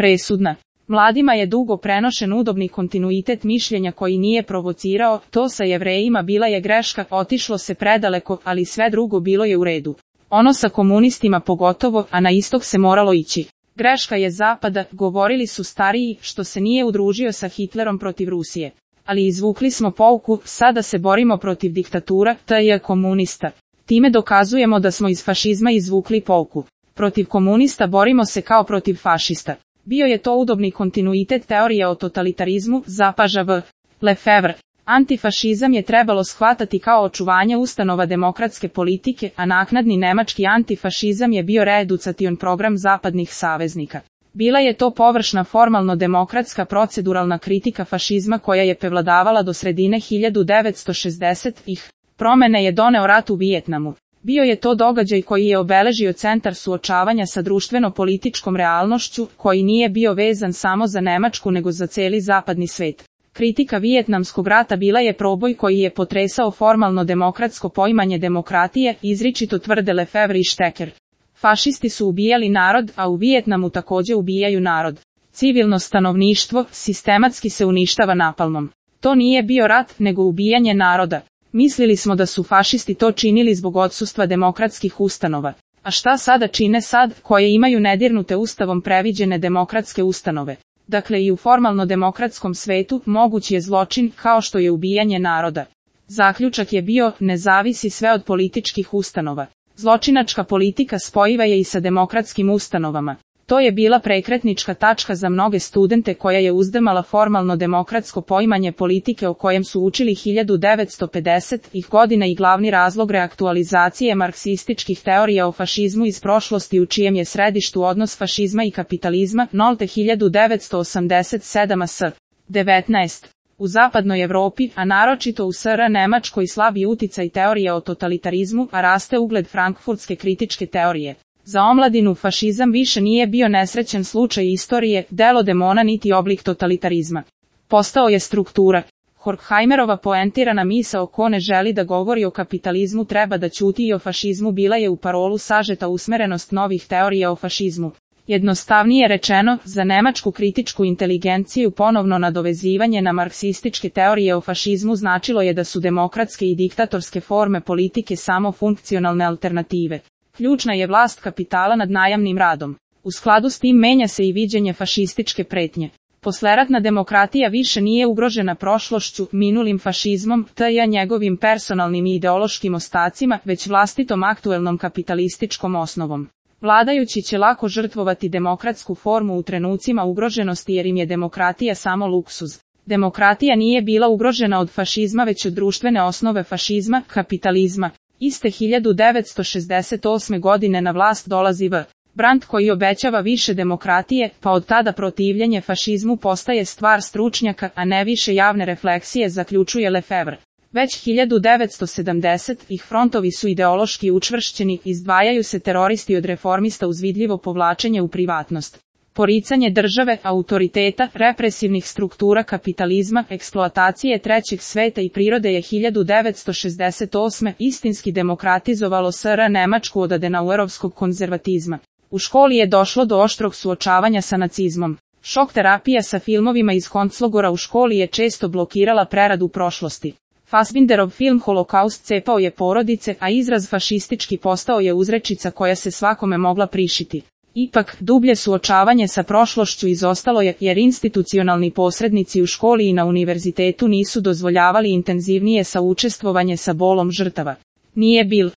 presudna. Mladima je dugo prenošen udobni kontinuitet mišljenja koji nije provocirao, to sa Jevrejima bila je greška, otišlo se predaleko, ali sve drugo bilo je u redu. Ono sa komunistima pogotovo, a na istok se moralo ići. Greška je Zapada, govorili su stariji, što se nije udružio sa Hitlerom protiv Rusije. Ali izvukli smo pouku, sada se borimo protiv diktatura, t.j. komunista. Time dokazujemo da smo iz fašizma izvukli pouku. Protiv komunista borimo se kao protiv fašista. Bio je to udobni kontinuitet teorije o totalitarizmu, zapaža V. Lefevre. Antifašizam je trebalo shvatati kao očuvanje ustanova demokratske politike, a naknadni nemački antifašizam je bio reeducacion program zapadnih saveznika. Bila je to površna formalno demokratska proceduralna kritika fašizma koja je prevladavala do sredine 1960-ih. Promene je doneo rat u Vijetnamu. Bio je to događaj koji je obeležio centar suočavanja sa društveno-političkom realnošću, koji nije bio vezan samo za Nemačku nego za cijeli zapadni svet. Kritika Vijetnamskog rata bila je proboj koji je potresao formalno demokratsko poimanje demokratije, izričito tvrde Lefevre i Šteker. Fašisti su ubijali narod, a u Vijetnamu također ubijaju narod. Civilno stanovništvo sistematski se uništava napalmom. To nije bio rat, nego ubijanje naroda. Mislili smo da su fašisti to činili zbog odsustva demokratskih ustanova. A šta sada čine sad, koje imaju nedirnute ustavom previđene demokratske ustanove? Dakle i u formalno demokratskom svetu moguć je zločin kao što je ubijanje naroda. Zaključak je bio, ne zavisi sve od političkih ustanova. Zločinačka politika spojiva je i sa demokratskim ustanovama. To je bila prekretnička tačka za mnoge studente koja je uzdrmala formalno demokratsko poimanje politike o kojem su učili 1950-ih godina i glavni razlog reaktualizacije marksističkih teorija o fašizmu iz prošlosti u čijem je središtu odnos fašizma i kapitalizma, nolte 1987 s. 19. U zapadnoj Evropi, a naročito u SR Nemačkoj slabi uticaj teorije o totalitarizmu, a raste ugled frankfurtske kritičke teorije. Za omladinu fašizam više nije bio nesrećen slučaj istorije, delo demona niti oblik totalitarizma. Postao je struktura. Horkheimerova poentirana misao ko ne želi da govori o kapitalizmu treba da ćuti i o fašizmu bila je u parolu sažeta usmerenost novih teorija o fašizmu. Jednostavnije rečeno, za nemačku kritičku inteligenciju ponovno nadovezivanje na marksističke teorije o fašizmu značilo je da su demokratske i diktatorske forme politike samo funkcionalne alternative. Ključna je vlast kapitala nad najamnim radom. U skladu s tim menja se i viđenje fašističke pretnje. Posleratna demokratija više nije ugrožena prošlošću, minulim fašizmom, t.j. njegovim personalnim i ideološkim ostacima, već vlastitom aktuelnom kapitalističkom osnovom. Vladajući će lako žrtvovati demokratsku formu u trenucima ugroženosti jer im je demokratija samo luksuz. Demokratija nije bila ugrožena od fašizma već od društvene osnove fašizma, kapitalizma. Iste 1968. godine na vlast dolazi V. Brandt koji obećava više demokratije, pa od tada protivljenje fašizmu postaje stvar stručnjaka, a ne više javne refleksije, zaključuje Lefevre. Već 1970-ih frontovi su ideološki učvršćeni, izdvajaju se teroristi od reformista uz vidljivo povlačenje u privatnost. Poricanje države, autoriteta, represivnih struktura kapitalizma, eksploatacije trećeg sveta i prirode je 1968. istinski demokratizovalo SR Nemačku od adenauerovskog konzervatizma. U školi je došlo do oštrog suočavanja sa nacizmom. Šok terapija sa filmovima iz konclogora u školi je često blokirala preradu prošlosti. Fassbinderov film Holokaust cepao je porodice, a izraz fašistički postao je uzrečica koja se svakome mogla prišiti. Ipak, dublje suočavanje sa prošlošću izostalo je, jer institucionalni posrednici u školi i na univerzitetu nisu dozvoljavali intenzivnije saučestvovanje sa bolom žrtava. Nije bil